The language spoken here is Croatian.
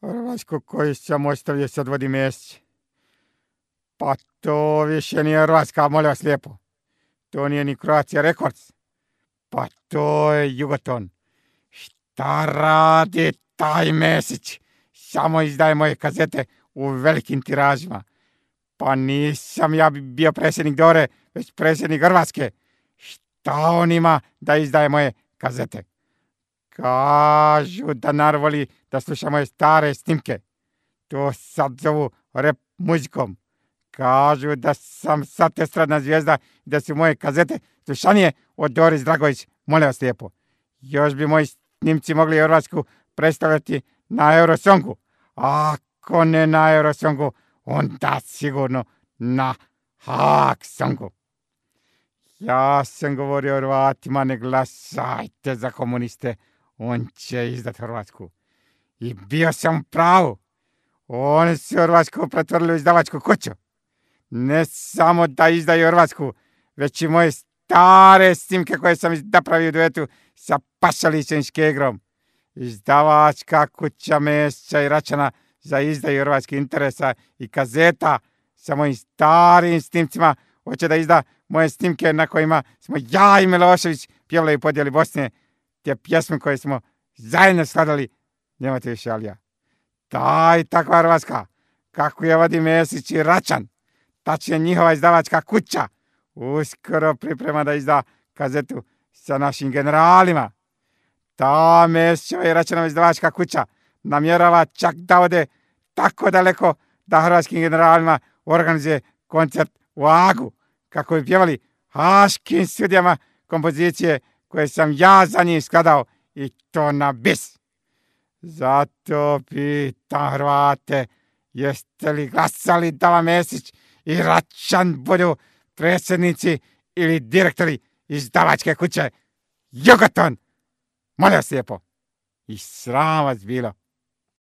Hrvatsku koju sam ostavio sad vodi Mesić. Pa to više nije Hrvatska, molim vas lijepo. To nije ni Croatia Records. Pa to je Jugoton. Šta radi taj Mesić? Samo izdaje moje kazete u velikim tiražima. Pa nisam ja bio predsjednik Dore, već predsjednik Hrvatske. Šta on ima da izdaje moje kazete? Kažu da narod voli da sluša moje stare snimke. To sad zovu rap muzikom. Kažu da sam sad estradna zvijezda i da su moje kazete slušanije od Doris Dragović. Molim vas lijepo. Još bi moji snimci mogli Hrvatsku predstavljati na Eurosongu. Ako ne na Eurosongu, onda sigurno na Haag songu. Ja sam govorio Hrvatima, ne glasajte za komuniste. On će izdat Hrvatsku. I bio sam pravu. Oni su Hrvatsku pretvorili u izdavačku kuću. Ne samo da izdaju Hrvatsku, već i moje stare snimke koje sam napravio u duetu sa Pašalićem Škegrom. Izdavačka kuća Mesića i Račana za izdaju hrvatskih interesa i kazeta sa mojim starim snimcima. Hoće da izda moje snimke na kojima smo ja i Milošević pjevali u podjeli Bosne. Te pjesme koje smo zajedno skladali. Nemate više alija. Taj takva Hrvatska, kako je vodi Mesić i Račan, tačnije njihova izdavačka kuća, uskoro priprema da izda kazetu sa našim generalima. Ta Mesićeva i Račanova izdavačka kuća namjerava čak da ode tako daleko da hrvatskim generalima organizuje koncert u Hagu, kako bi pjevali haškim sudijama kompozicije koje sam ja za njih skladao i to na bis. Zato pitam Hrvate, jeste li glasali da vam Mesić i Račan budu predsjednici ili direktori izdavačke kuće Jugoton? Molim vas lijepo. I sram vas bilo.